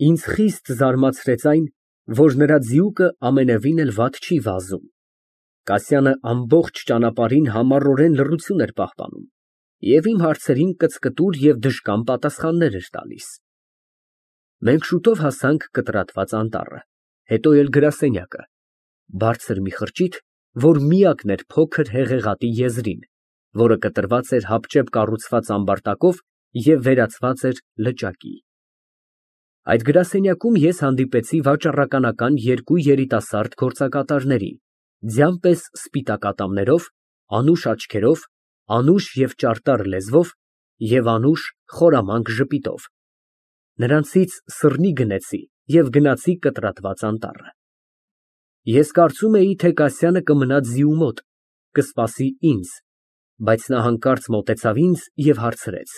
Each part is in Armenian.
Ինձ խիստ զարմացրեց այն, որ նրա ձիուկը ամենևին էլ վատ չի վազում։ Կասյանը ամբողջ ճանապարհին համառորեն լռություն էր պահպանում և իմ հարցերին կծկտուր և դժկամ պատասխաններ էր տալիս։ Մենք շուտով հասանք կտրատված անտառը, հետո էլ գրասենյակը, բարձր մի խրճիթ, որ միակն էր փոքր հեղեղատի եզրին, որը կտրված էր հապճեպ կառուցված ամբարտակով և վերածված էր լճակի։ Այդ գրասենյակում ես հանդիպեցի վաճառականական երկու երիտասարդ գործակատարների, ձյան պես սպիտակ ատամներով, անուշ աչքերով, անուշ և ճարտար լեզվով և անուշ խորամանկ ժպիտով։ Նրանցից սռնի գնեցի և գնացի կտրատված անտառը։ Ես կարծում էի, թե Կասյանը կմնա ձիու մոտ, կսպասի ինձ, բայց նա հանկարծ մոտեցավ ինձ և հարցրեց.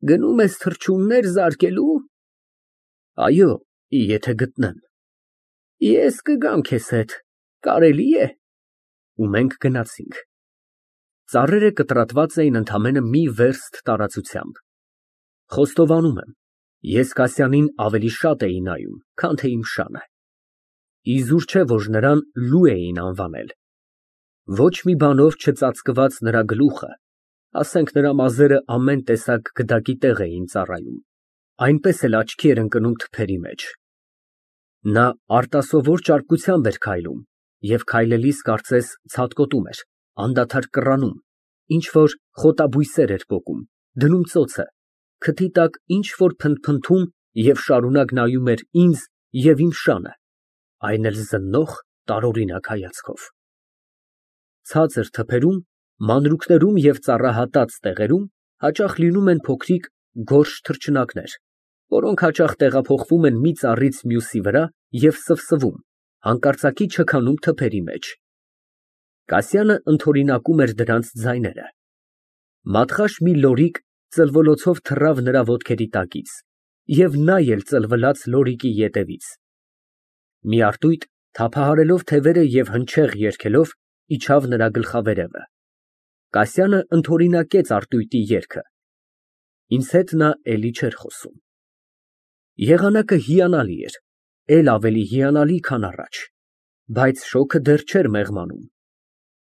Գնում ես թռչուններ զարկելու։ Այո, եթե գտնեմ։ Ես կգամ քեզ հետ, կարելի է։ Ու մենք գնացինք։ Ծառերը կտրատված էին ընդամենը մի վերստ տարածությամբ։ Խոստովանում եմ, ես Կասյանին ավելի շատ էի նայում, քան թե իմ շանը։ Իզուր չէ, որ նրան լու էին անվանել։ Ոչ մի բանով չծածկված նրա գլուխը, ասենք նրա մազերը ամեն տեսակ գդակի տեղ էին ծառայում, այնպես էլ աչքի էր ընկնում թփերի մեջ։ Նա արտասովոր ճարպկությամբ էր քայլում և քայլելիս կարծես ցատկոտում էր, անդադար կռանում, ինչ֊որ խոտաբույսեր էր պոկում, դնում ծոցը, քթի տակ ինչ֊որ փնթփնթում և շարունակ նայում էր ինձ և իմ շանը, այն էլ զննող, տարօրինակ հայացքով։ Ցածր թփերում, մանրուքներում և ծառահատած տեղերում հաճախ լինում են փոքրիկ գորշ թռչնակներ, որոնք հաճախ տեղափոխվում են մի ծառից մյուսի վրա և սվսվում, հանկարծակի չքանում թփերի մեջ։ Կասյանը ընդօրինակում էր դրանց ձայները։ Մատղաշ մի լորիկ ծլվոլոցով թռավ նրա ոտքերի տակից և նա էլ ծլվելաց լորիկի ետևից։ Մի արծույտ, թափահարելով թևերը և հնչեղ երգելով, իջավ նրա գլխավերևը։ Կասյանը ընդօրինակեց արծույտի երգը։ Ինձ հետ նա էլի չէր խոսում։ Եղանակը հիանալի էր, էլ ավելի հիանալի, քան առաջ, բայց շոգը դեռ չէր մեղմանում։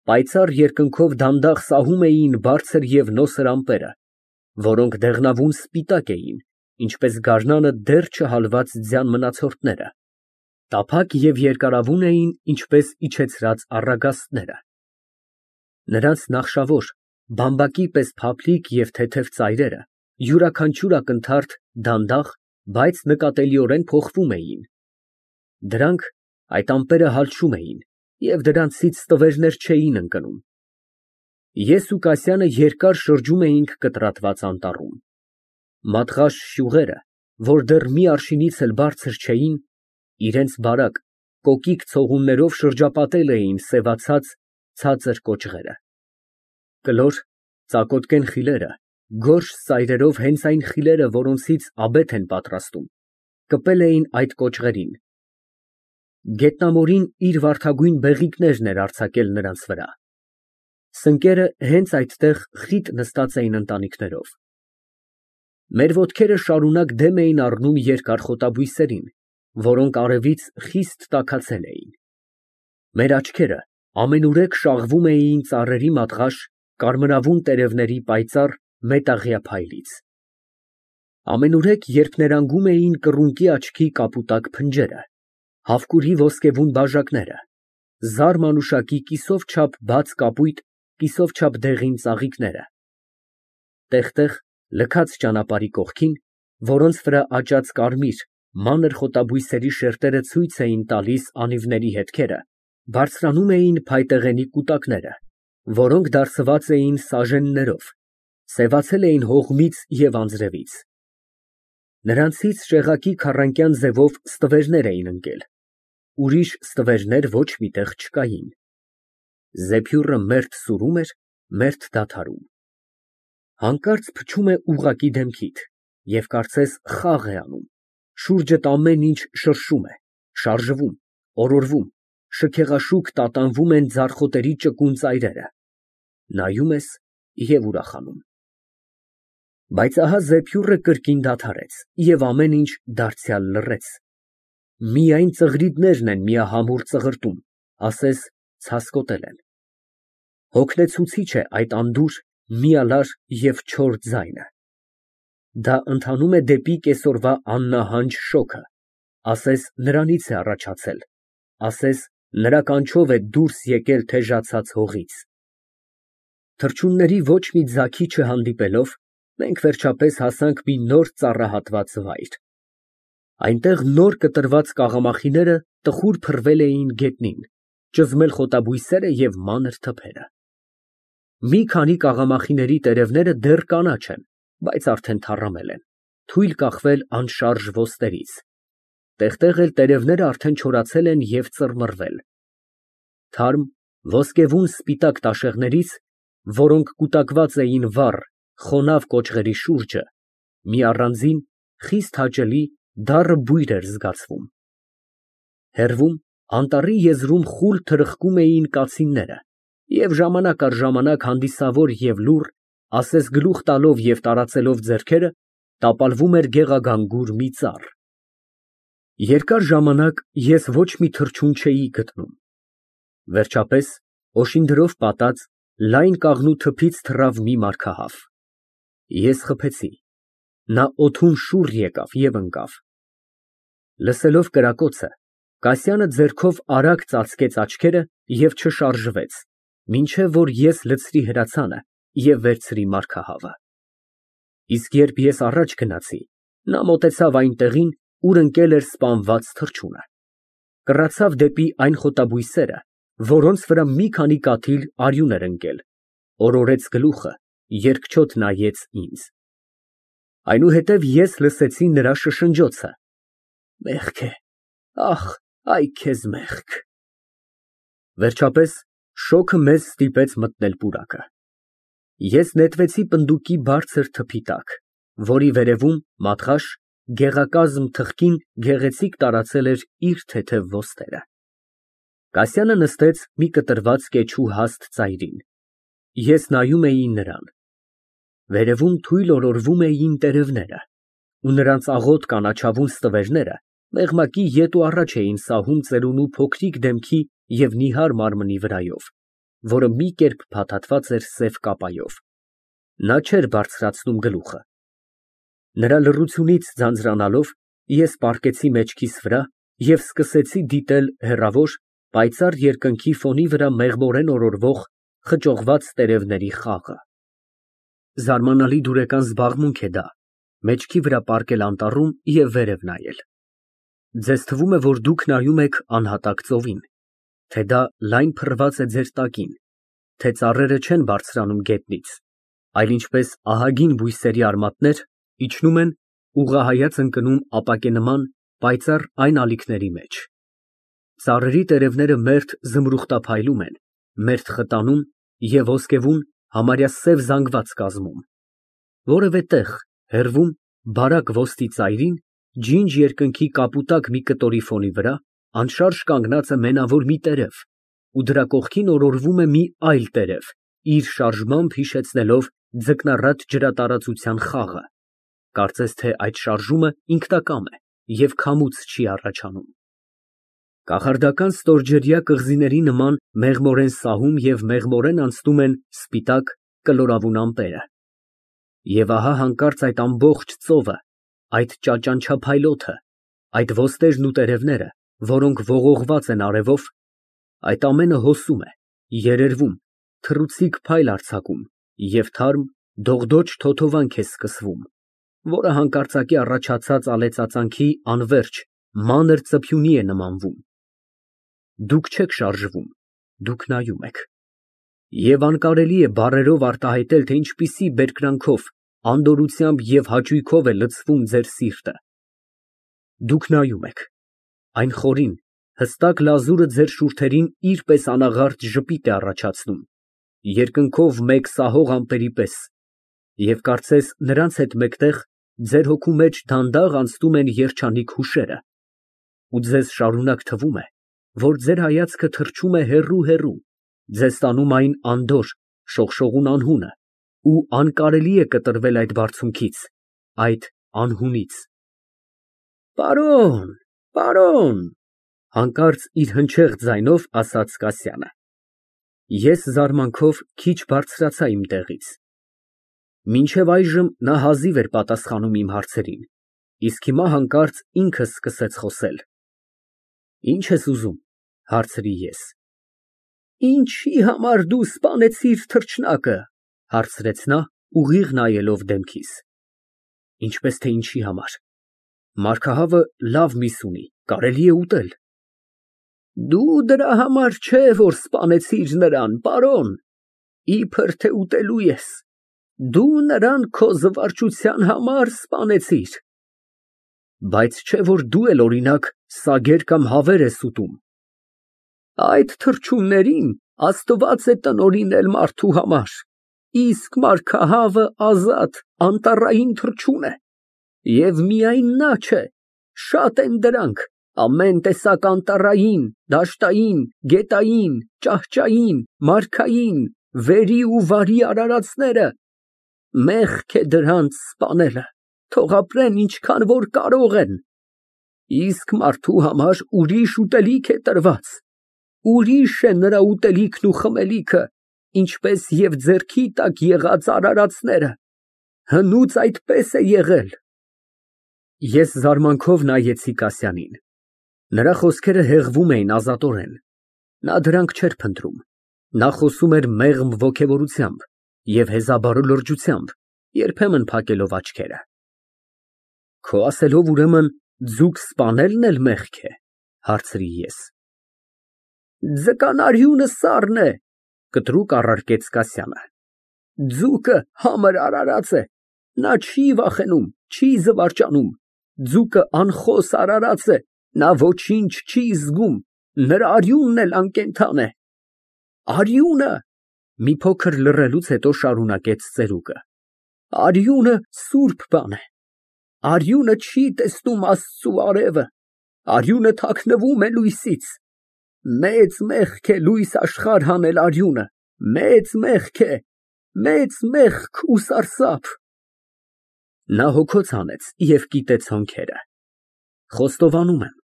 Պայծառ երկնքով դանդաղ սահում էին բարձր և նոսր ամպերը, որոնք դեղնավուն սպիտակ էին, ինչպես գարնանը դեռ չհալված ձյան մնացորդները, տափակ և երկարավուն էին, ինչպես իջեցրած առագաստները։ Նրանց նախշավոր, բամբակի պես փափլիկ և թեթև ծայրերը յուրաքանչյուր ակնթարթ դանդաղ, բայց նկատելիորեն փոխվում էին։ Դրանք, այդ ամպերը հալչում էին և դրանցից ստվերներ չէին ընկնում։ Ես ու Կասյանը երկար շրջում էինք կտրատված անտառում։ Մատղաշ շյուղերը, որ դեռ մի արշինից էլ բարձր չէին, իրենց բարակ, կոկիկ ցողուններով շրջապատել էին սևացած, ցածր կոճղերը։ Կլոր, ծակոտկեն խիլերը, գորշ ծայրերով հենց այն խիլերը, որոնցից աբեթ են պատրաստում, կպել էին այդ կոճղերին։ Գետնամորին իր վարդագույն բեղիկներն էր արձակել նրանց վրա։ Սնկերը հենց այդտեղ խիտ նստած էին ընտանիքներով։ Մեր ոտքերը շարունակ դեմ էին առնում երկար խոտաբույսերին, որոնք արևից խիստ տաքացել էին։ Մեր աչքերը ամենուրեք շաղվում էին ծառերի մատղաշ կարմրավուն տերևների պայծառ մետաղյա փայլից։ Ամենուրեք, երբ ներանգում էին կռունկի աչքի կապուտակ փնջերը, հավկուրի ոսկեվուն բաժակները, զար մանուշակի կիսով չափ բաց կապույտ, կիսով չափ դեղին ծաղիկները, տեղ֊տեղ լքած ճանապարհի կողքին, որոնց վրա աճած կարմիր, մանր խոտաբույսերի շերտերը ցույց էին տալիս անիվների հետքերը, բարձրանում էին փայտեղենի կուտակները, որոնք դարսված էին սաժեններով, սևացել էին հողմից և անձրևից։ Նրանցից շեղակի քառանկյան ձևով ստվերներ էին ընկել, ուրիշ ստվերներ ոչ մի տեղ չկային։ Զեփյուռը մերթ սուրում էր, մերթ դադարում։ Հանկարծ փչում է ուղղակի դեմքիդ և կարծես խաղ է անում, շուրջդ ամեն ինչ շրշում է, շարժվում, օրորվում, շքեղաշուկ տատանվում են ձարխոտերի ճկուն ծայրերը, նայում ես և ուրախանում։ Բայց ահա զեփյուռը կրկին դադարեց և ամեն ինչ դարձյալ լռեց, միայն ծղրիդներն են միահամուռ ծղրտում, ասես ցասկոտել են։ Հոգնեցուցիչ է այդ անդուր, միալար և չոր ձայնը։ Դա ընթանում է դեպի կեսօրվա աննահանջ շոգը, ասես նրանից է առաջացել, ասես նրա կանչով է դուրս եկել թեժացած հողից։ Թռչունների ոչ մի ձագի չհանդիպելով, մենք վերջապես հասանք մի նոր ծառահատված վայր։ Այնտեղ նոր կտրված կաղամախիները տխուր փռվել էին գետնին, ճզմել խոտաբույսերը և մանր թփերը։ Մի քանի կաղամախիների տերևները դեռ կանաչ են, բայց արդեն թառամել են, թույլ կախվել անշարժ ոստրից, տեղ֊տեղ էլ տերևները արդեն չորացել են և ծռմռվել։ Թարմ, ոսկեվուն սպիտակ տաշեղներից, որոնք կուտակված էին վառ, խոնավ կոճղերի շուրջը, մի առանձին, խիստ հաճելի, դառը բույր էր զգացվում։ Հեռվում, անտառի եզրում խուլ թրխկում էին կացինները և ժամանակ առ ժամանակ հանդիսավոր և լուռ, ասես գլուխ տալով և տարածելով ձեռքերը, տապալվում էր գեղագանգուր մի ծառ։ Երկար ժամանակ ես ոչ մի թռչուն չէի գտնում։ Վերջապես, օշինդրով պատած, լայն կաղնու թփից թռավ մի մարգահավ։ Ես խփեցի։ Նա օդում շուռ եկավ և ընկավ։ Լսելով կրակոցը, Կասյանը ձեռքով արագ ծածկեց աչքերը և չշարժվեց, մինչև որ ես լցրի հրացանը և վերցրի մարգահավը։ Իսկ երբ ես առաջ գնացի, նա մոտեցավ այն տեղին, ուր ընկել էր սպանված թռչունը, կռացավ դեպի այն խոտաբույսերը, որոնց վրա մի քանի կաթիլ արյուն էր ընկել, օրորեց գլուխը, երկչոտ նայեց ինձ։ Այնուհետև ես լսեցի նրա շշնջոցը. «Մեղք է, ախ, այ քեզ մեղք»։ Վերջապես շոգը մեզ ստիպեց մտնել պուրակը։ Ես նետվեցի պնդուկի բարձր թփի տակ, որի վերևում մատղաշ, գեղակազմ թխկին գեղեցիկ տարածել էր իր թեթև ոսტերը։ Կասյանը նստեց մի կտրված կեչու հաստ ծայրին։ Ես նայում էի նրան։ Վերևում թույլ օրորվում էին տերևները, ու նրանց աղոտ կանաչավուն ստվերները մեղմակի ետ ու առաջ էին սահում ծերունու փոքրիկ դեմքի և նիհար մարմնի վրայով, որը մի կերպ փաթաթված էր սև կապայով։ Նա չէր բարձրացնում գլուխը։ Նրա լռությունից ձանձրանալով, ես պառկեցի մեջքիս վրա և սկսեցի դիտել հեռավոր, պայծառ երկնքի ֆոնի վրա մեղմորեն օրորվող, խճողված տերևների խաղը։ Զարմանալի դուրեկան զբաղմունք է դա մեջքի վրա պառկել անտառում և վերև նայել։ Ձեզ թվում է, որ դուք նայում եք անհատակ ծովին, թե դա լայն փռված է ձեր տակին, թե ծառերը չեն բարձրանում գետնից, այլ ինչպես ահագին բույսերի արմատներ, իջնում են, ուղղահայաց ընկնում ապակենման պայծառ այն ալիքների մեջ։ Ծառերի տերևները մերթ զմրուխտափայլում են, մերթ խտանում և ոսկեվուն համարյա սև զանգված կազմում։ Որևէ տեղ, հեռվում, բարակ ոստի ծայրին, ջինջ երկնքի կապուտակ մի կտորի ֆոնի վրա, անշարժ կանգնած է մենավոր մի տերև, ու դրա կողքին օրորվում է մի այլ տերև, իր շարժմամբ հիշեցնելով ձկնառատ ջրատարածության խաղը, կարծես թե այդ շարժումը ինքնակամ է և քամուց չի առաջանում։ Կախարդական ստորջրյա կղզիների նման մեղմորեն սահում և մեղմորեն անցնում են սպիտակ, կլորավուն ամպերը։ Եվ ահա հանկարծ այդ ամբողջ ծովը, այդ ճաճանչափայլոթը, այդ ոստերն ու տերևները, որոնք ողողված են արևով, այդ ամենը հոսում է, երերվում, թռուցիկ փայլ արձակում և թարմ, դողդոջ թոթովանք է սկսվում, որը հանկարծակի առաջացած ալեցածանքի անվերջ, մանր ծփյունի է նմանվում։ Դուք չեք շարժվում, դուք նայում եք։ Եվ անկարելի է բառերով արտահայտել, թե ինչպիսի բերկրանքով, անդորրությամբ և հաճույքով է լցվում ձեր սիրտը։ Դուք նայում եք, այն խորին, հստակ լազուրը ձեր շուրթերին իր պես անաղարտ ժպիտ է առաջացնում, երկնքով մեկ սահող ամպերի պես, և կարծես նրանց հետ մեկտեղ ձեր հոգու մեջ դանդաղ անցնում են երջանիկ հուշերը, ու ձեզ շարունակ թվում է, որ ձեր հայացքը թռչում է հեռու֊հեռու, ձեզ տանում այն անդորր, շողշողուն անհունը, ու անկարելի է կտրվել այդ բարձունքից, այդ անհունից։ Պարոն, պարոն, հանկարծ իր հնչեղ ձայնով ասաց Կասյանը։ Ես զարմանքով քիչ բարձրացա իմ տեղից։ Մինչև այժմ նա հազիվ էր պատասխանում իմ հարցերին, իսկ հիմա հանկարծ ինքը սկսեց խոսել։ Ինչ ես ուզում, հարցրի ես։ Ինչի համար դու սպանեցիր թռչնակը, հարցրեց նա, ուղիղ նայելով դեմքիս։ Ինչպես թե ինչի համար։ Մարգահավը լավ միս ունի, կարելի է ուտել։ Դու դրա համար չէ, որ սպանեցիր նրան, պարոն, իբր թե ուտելու ես։ Դու նրան քո զվարճության համար սպանեցիր։ Բայց չէ որ դու էլ օրինակ սագեր կամ հավեր ես ուտում։ Այդ թռչուններին Աստված է տնօրինել մարդու համար, իսկ մարգահավը ազատ, անտառային թռչուն է։ Եվ միայն նա չէ, շատ են դրանք, ամեն տեսակ անտառային, դաշտային, գետային, ճահճային, մարքային, վերի ու վարի արարածները։ Մեղք է դրանց սպանելը, թող ապրեն ինչքան որ կարող են։ Իսկ մարդու համար ուրիշ ուտելիք է տրված, ուրիշ է նրա ուտելիքն ու խմելիքը, ինչպես և ձեռքի տակ եղած արարածները, հնուց այդպես է եղել։ Ես զարմանքով նայեցի Կասյանին, նրա խոսքերը հեղվում էին ազատորեն, նա դրանք չէր փնտրում, նա խոսում էր մեղմ ոգևորությամբ և հեզաբարո լրջությամբ, երբեմն փակելով աչքերը։ Քո ասելով ուրեմն ձուկ սպանելն էլ մեղք է, հարցրի ես։ Ձկանարյունը սառն է, կտրուկ առարկեց Կասյանը։ Ձուկը համր արարած է, նա չի վախենում, չի զվարճանում, ձուկը անխոս արարած է, նա ոչինչ չի զգում, նրա արյունն էլ անկենդան է։ Արյունը, մի փոքր լռելուց հետո շարունակեց ծերուկը, արյունը սուրբ բան է, արյունը չի տեսնում Աստծու արևը, արյունը թաքնվում է լույսից, մեծ մեղք է լույս աշխարհ հանել արյունը, մեծ մեղք է, մեծ մեղք ու սարսափ։ Նա հոգոց հանեց և կիտեց հոնքերը։ Խոստովանում եմ,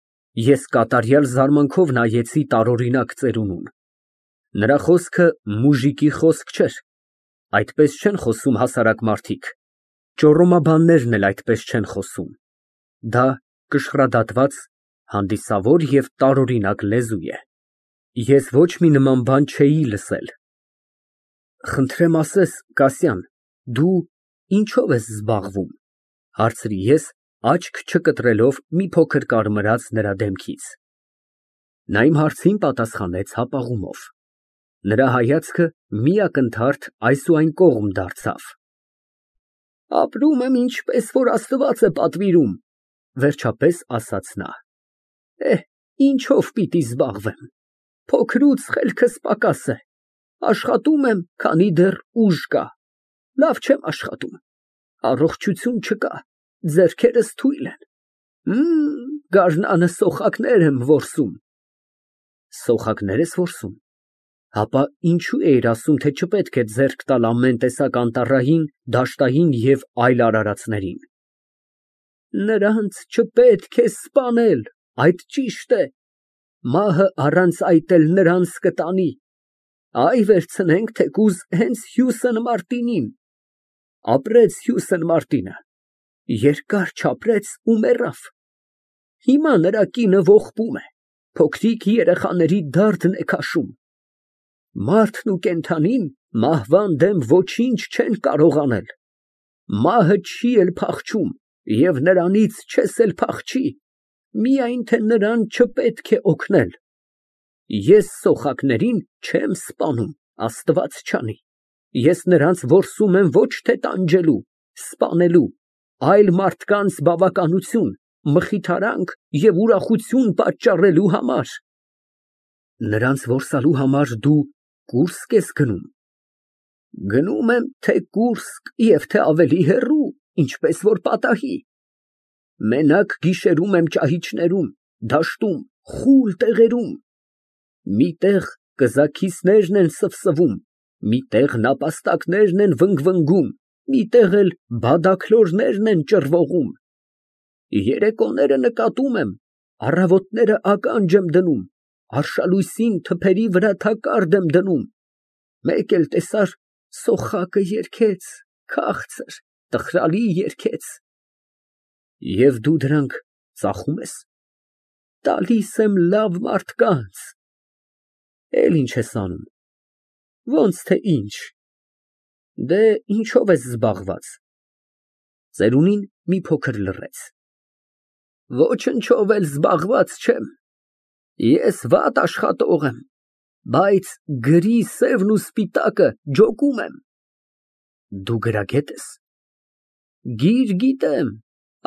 ես կատարյալ զարմանքով նայեցի տարօրինակ ծերունուն։ Նրա խոսքը մուժիկի խոսք չէր, այդպես չեն խոսում հասարակ մարդիկ, ճոռոմաբաններն էլ այդպես չեն խոսում։ Դա կշռադատված, հանդիսավոր և տարօրինակ լեզու է։ Ես ոչ մի նման բան չէի լսել։ Խնդրեմ ասես, Կասյան, դու ինչո՞վ ես զբաղվում, հարցրի ես, աչք չկտրելով մի փոքր կարմրած նրա դեմքից։ Նա իմ հարցին պատասխանեց հապաղումով։ Նրա հայացքը մի ակնթարթ այս ու այն կողմ դարձավ։ Ապրում եմ ինչպես որ Աստված է պատվիրում, վերջապես ասաց նա։ Ինչով պիտի զբաղվեմ, փոքրուց խելքս պակաս է, աշխատում եմ, քանի դեռ ուժ կա, լավ չեմ աշխատում, առողջություն չկա, ձեռքերս թույլ են, գարնանը սոխակներ եմ որսում։ Սոխակներ ես որսում, հապա ինչու էիր ասում, թե չպետք է ձեռք տալ ամեն տեսակ անտառային, դաշտային և այլ արարածներին։ Նրանց չպետք է սպանել, այդ ճիշտ է, մահը առանց այդ էլ նրանց կտանի, այ վերցնենք թեկուզ հենց Հյուսն Մարտինին, ապրեց Հյուսն Մարտինը, երկար չապրեց ու մեռավ, հիմա նրա կինը ողբում է, փոքրիկ երեխաների դարդն է քաշում, մարդն ու կենդանին մահվան դեմ ոչինչ չեն կարող անել, մահը չի էլ փախչում և նրանից չես էլ փախչի, միայն թե նրան չպետք է օգնել։ Ես սոխակներին չեմ սպանում, Աստված չանի, ես նրանց որսում եմ ոչ թե տանջելու, սպանելու, այլ մարդկանց բավականություն, մխիթարանք և ուրախություն պատճառելու համար։ Նրանց որսալու համար դու կուրսկ ես գնում։ Գնում եմ թե Կուրսկ և թե ավելի հեռու, ինչպես որ պատահի։ Մենակ գիշերում եմ ճահիճներում, դաշտում, խուլ տեղերում։ Մի տեղ կզաքիսներն են սվսվում, Միտեղ նապաստակներն են վնգվնգում, միտեղ էլ բադաքլորներն են ճռվողում։ Երեկոները նկատում եմ, առավոտները ականջ եմ դնում, արշալույսին թփերի վրա թակարդ եմ դնում, մեկ էլ տեսար սոխակը երգեց, քաղցր, տխրալի երգեց։ Եվ դու դրանք ծախում ես։ Տալիս եմ լավ մարդկանց։ Էլ ինչ ես անում։ Ոնց թե ինչ։ Դե ինչով ես զբաղված։ Ծերունին մի փոքր լռեց։ Ոչնչով էլ զբաղված չեմ։ Ես վատ աշխատող եմ, բայց գրի սևն ու սպիտակը ջոկում եմ։ Դու գրագետ ես։ Գիր գիտեմ,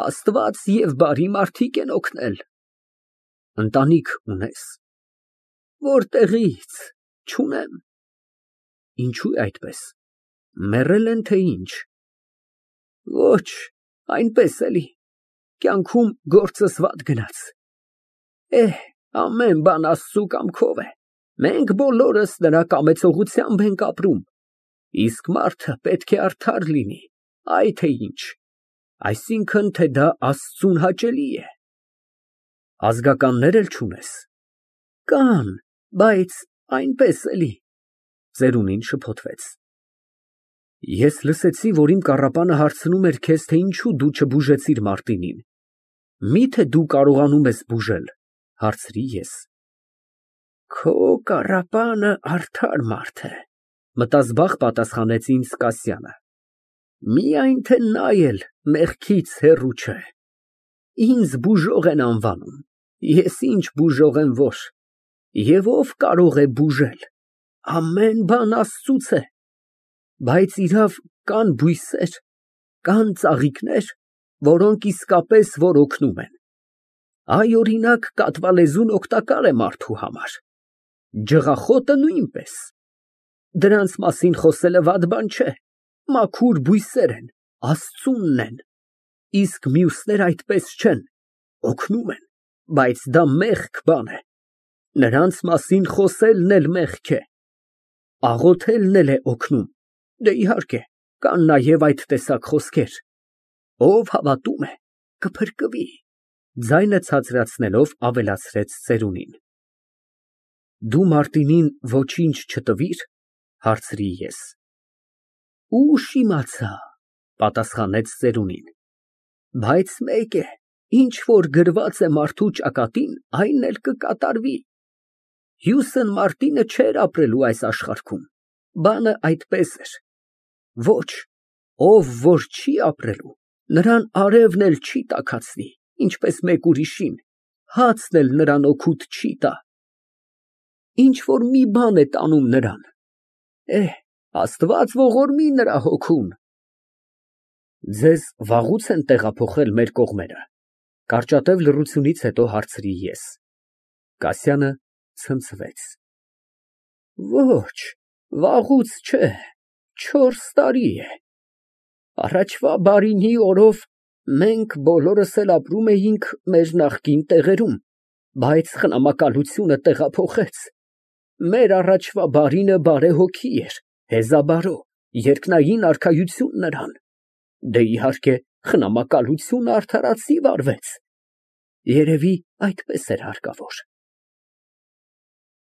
Աստված և բարի մարդիկ են օգնել։ Ընտանիք ունես։ Որտեղի՞ց, չունեմ։ Ինչո՞ւ է այդպես, մեռել են, թե ինչ։ Ոչ, այնպես էլի, կյանքում գործս վատ գնաց։ Ամեն բան Աստծու կամքով է, մենք բոլորս նրա կամեցողությամբ ենք ապրում, իսկ մարդը պետք է արդար լինի, այ թե ինչ, այսինքն, թե դա Աստծուն հաճելի է։ Ազգականներ էլ չունես։ Կան, բայց այնպես էլի։ Ծերունին շփոթվեց։ Ես լսեցի, որ իմ կառապանը հարցնում էր քեզ, թե ինչու դու չբուժեցիր Մարտինին։ Միթե դու կարողանում ես բուժել, հարցրի ես։ Քո կառապանը արդար մարդ է, մտազբաղ պատասխանեց ինձ Կասյանը։ Միայն թե նա էլ մեղքից հեռու չէ։ Ինձ բուժող են անվանում, ես ինչ բուժող եմ որ։ Եվ ով կարող է բուժել։ Ամեն բան Աստծուց է։ Բայց իրավ, կան բույսեր, կան ծաղիկներ, որոնք իսկապես որ օգնում են։ Այ, օրինակ, կատվալեզուն օգտակար է մարդու համար։ Ջղախոտը նույնպես։ Դրանց մասին խոսելը վատ բան չէ, մաքուր բույսեր են, Աստծունն են։ Իսկ մյուսներ այդպես չեն, օգնում են, բայց դա մեղք բան է։ Նրանց մասին խոսելն էլ մեղք է։ Աղոթելն էլ է օգնում։ Դե իհարկե, կան նաև այդ տեսակ խոսքեր։ Ով հավատում է, կփրկվի, ձայնը ցածրացնելով ավելացրեց ծերունին։ Դու Մարտինին ոչինչ չտվիր, հարցրի ես։ Ուշ իմացա, պատասխանեց ծերունին։ Բայց մեկ է, ինչ որ գրված է մարդու ճակատին, այն էլ կկատարվի։ Հյուսն Մարտինը չէր ապրելու այս աշխարհքում, բանը այդպես էր։ Ոչ, ով որ չի ապրելու, նրան արևն էլ չի տաքացնի, ինչպես մեկ ուրիշին, հացն էլ նրան օգուտ չի տա։ Ինչ որ մի բան է տանում նրան։ Աստված ողորմի նրա հոգուն։ Ձեզ վաղուց են տեղափոխել մեր կողմերը, կարճատև լռությունից հետո հարցրի ես։ Կասյանը ցնցվեց։ Ոչ, վաղուց չէ, 4 տարի է։ Առաջվա բարինի օրով մենք բոլորս էլ ապրում էինք մեր նախկին տեղերում, բայց խնամակալությունը տեղափոխեց։ Մեր առաջվա բարինը բարեհոգի էր, հեզաբարո, երկնային արքայություն նրան։ Դե իհարկե, խնամակալությունը արդարացի վարվեց։ Երևի այդպես էր հարկավոր։